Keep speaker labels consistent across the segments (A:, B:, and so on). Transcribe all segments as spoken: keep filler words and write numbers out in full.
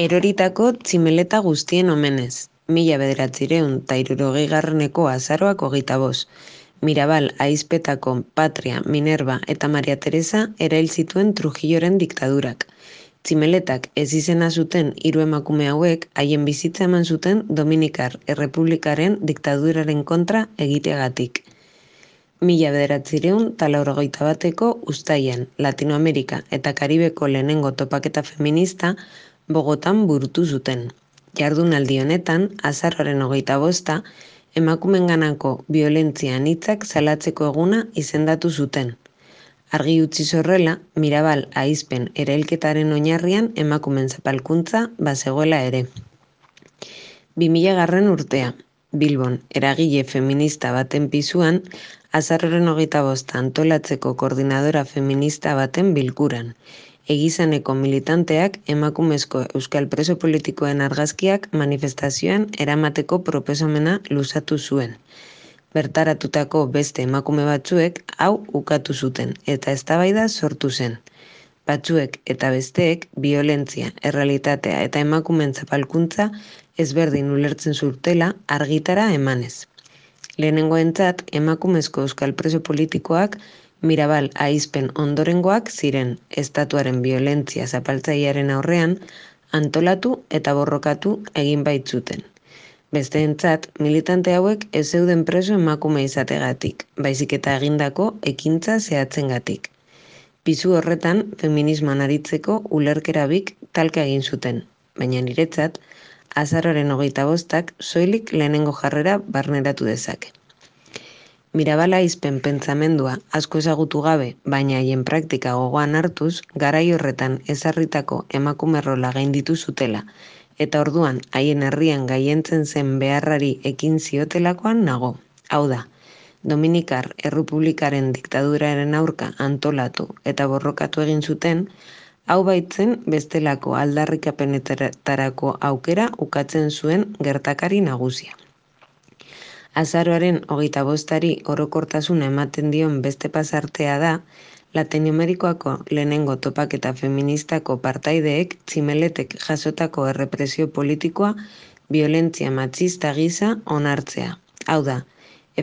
A: Eroritako tximeleta guztien omenez, mila bederatzireun ta hirurogeigarreneko azaroak hogeita bost. Mirabal ahizpetako Patria, Minerva eta Maria Teresa erail zituen Trujilloren diktadurak. Tximeletak ez izena zuten hiru emakume hauek haien bizitza eman zuten Dominikar Errepublikaren diktaduraren kontra egiteagatik. Mila bederatzireun ta laurogeita bateko uztailean, Latinoamerika eta Karibeko lehenengo topaketa feminista Bogotan burutu zuten. Jardunaldi honetan, azaroaren hogeita bosta, emakumenganako biolentzia anitzak salatzeko eguna izendatu zuten. Argi utzi horrela, Mirabal ahizpen erailketaren oinarrian emakumen zapalkuntza bazegoela ere. bi mila garren urtea, Bilbon, eragile feminista baten pisuan, azaroaren hogeita bosta antolatzeko koordinadora feminista baten bilkuran. Egizaneko militanteak emakumezko euskal preso politikoen argazkiak manifestazioan eramateko proposamena luzatu zuen. Bertaratutako beste emakume batzuek hau ukatu zuten eta eztabaida sortu zen. Batzuek eta besteek biolentzia, errealitatea eta emakumeen zapalkuntza ezberdin ulertzen zutela argitara emanez. Lehenengoentzat emakumezko euskal preso politikoak Mirabal ahizpen ondorengoak ziren estatuaren biolentzia zapaltzailearen aurrean antolatu eta borrokatu egin baitzuten. Besteentzat, militante hauek ez zeuden preso emakume izategatik, baizik eta egindako ekintza zehatzengatik. Pisu horretan, feminismoan aritzeko ulerkerabik talka egin zuten, baina niretzat, azaroaren hogeita bostak soilik lehenengo jarrera barneratu dezake. Mirabal ahizpen pentsamendua asko ezagutu gabe, baina haien praktika gogoan hartuz, garai horretan ezarritako emakume rola gainditu zutela, eta orduan haien herrian gailentzen zen beharrari ekin ziotelakoan nago. Hau da, Dominikar Errepublikaren diktaduraren aurka antolatu eta borrokatu egin zuten, hau baitzen bestelako aldarrikapenetarako aukera ukatzen zuen gertakari nagusia. Azaroaren hogeita bostari orokortasuna ematen dion beste pasartea da, Latinoamerikoako lehenengo topaketa feministako partaideek tximeletek jasotako errepresio politikoa biolentzia matxista gisa onartzea. Hau da,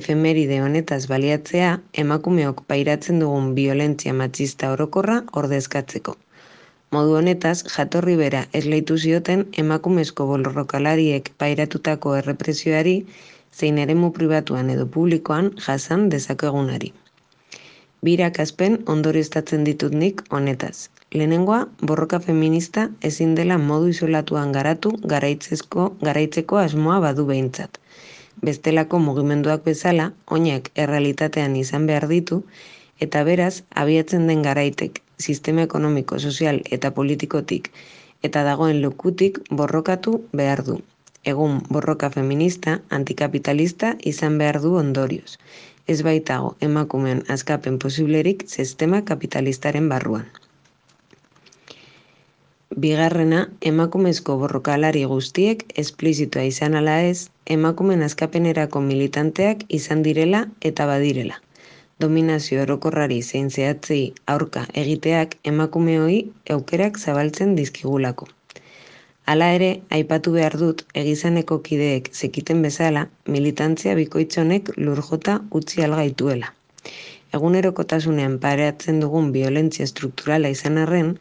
A: efemeride honetaz baliatzea emakumeok pairatzen dugun biolentzia matxista orokorra ordezkatzeko. Modu honetaz, jatorri bera esleitu zioten emakumezko borrokalariek pairatutako errepresioari zein eremu pribatuan edo publikoan jasan dezakegunari. Bi irakaspen ondorioztatzen ditut nik honetaz. Lehenengoa, borroka feminista ezin dela modu isolatuan garatu garaitzeko, garaitzeko asmoa badu behintzat. Bestelako mugimenduak bezala, oinak errealitatean izan behar ditu, eta beraz, abiatzen den garaitek, sistema ekonomiko, sozial eta politikotik, eta dagoen lekutik borrokatu behar du. Egun borroka feminista, antikapitalista izan behar du ondorioz. Ez baitago emakumeen askapen posiblerik sistema kapitalistaren barruan. Bigarrena, emakumezko borrokalari guztiek esplizitoa izan ala ez, emakumeen askapenerako militanteak izan direla eta badirela. Dominazio orokorrari zein zehatzei aurka egiteak emakumeoi aukerak zabaltzen dizkigulako. Hala ere, aipatu behar dut, egizaneko kideek zekiten bezala, militantzia bikoitzonek lurjota utzi algaituela. Egunerokotasunean pareatzen dugun biolentzia strukturala izan arren,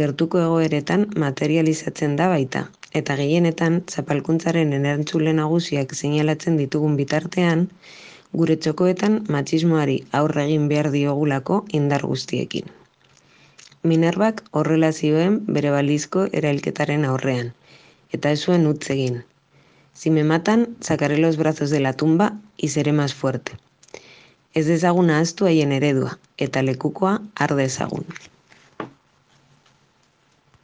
A: gertuko egoeretan materializatzen da baita, eta gehienetan zapalkuntzaren erantzule nagusiak seinalatzen ditugun bitartean, gure txokoetan matxismoari aurre egin behar diogulako indar guztiekin. Minervak horrela zioen bere balizko erailketaren aurrean, eta ez zuen utz egin. Si me matan, sacaré los brazos de la tumba y seré más fuerte. Ez dezagun ahaztu haien eredua, eta lekukoa har dezagun.